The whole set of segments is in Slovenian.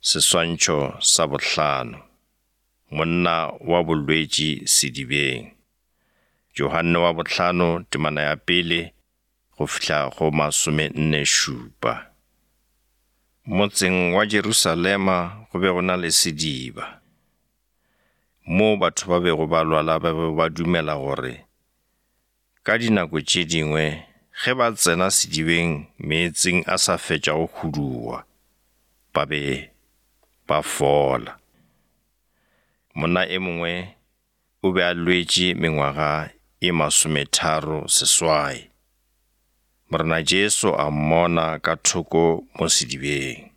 Seswantšho sa 5. Monna wa bolwetši sedibeng. Yohanne wa 5 temana ya 1 go fihla go 47. Motseng wa Jerusalema go be go na le sediba. Mo batho ba bego ba lwala ba be ba dumela gore ka dinako tše dingwe ge ba tsena sedibeng meetseng a sa fetša go huduwa ba be ba fola. Monna e mongwe o be a lwetše mengwaga e 38. Morena Jesu a mmona ka thoko mo sedibeng.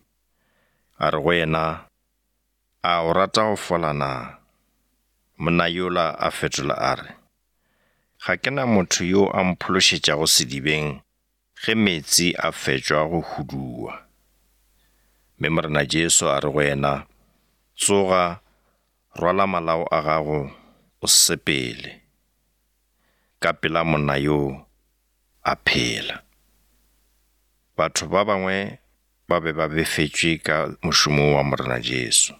A re go yena, a o rata go fola na? Monna yola a fetola a re, ga ke na motho yo a mphološetšago sedibeng ge meetse a fetšwa go huduwa. Mme morena Jesu a re go yena, tsoga, rwala malao a gago, o sepele. Ka pela monna yo a phela. Batho ba bangwe ba be ba befetšwe ka mošomo wa morena Jesu.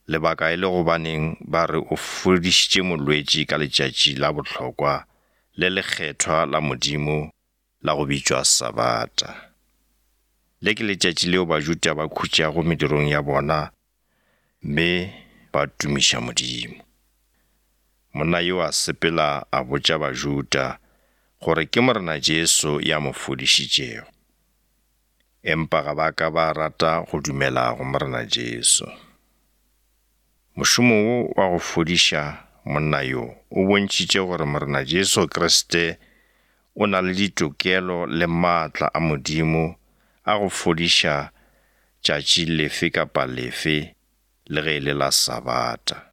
Lebaka e le gobaneng ba re o fodišitše molwetši ka letšatši la bohlokwa le lekgethwa la Modimo la go bitšwa Sabata. Le ke letšatši leo Bajuda ba khutšago medirong ya bona mme ba tumiša Modimo. Monna yo a sepela a botša Bajuda gore ke morena Jesu ya mo fodišitšego. Empa ga ba ka ba rata go dumela go morena Jesu. Mošomo wo wa go fodiša monna yo o bontšitše gore morena Jesu Kriste o na le ditokelo le maatla a Modimo a go fodiša tšatši lefe kapa lefe le ge le la Sabata.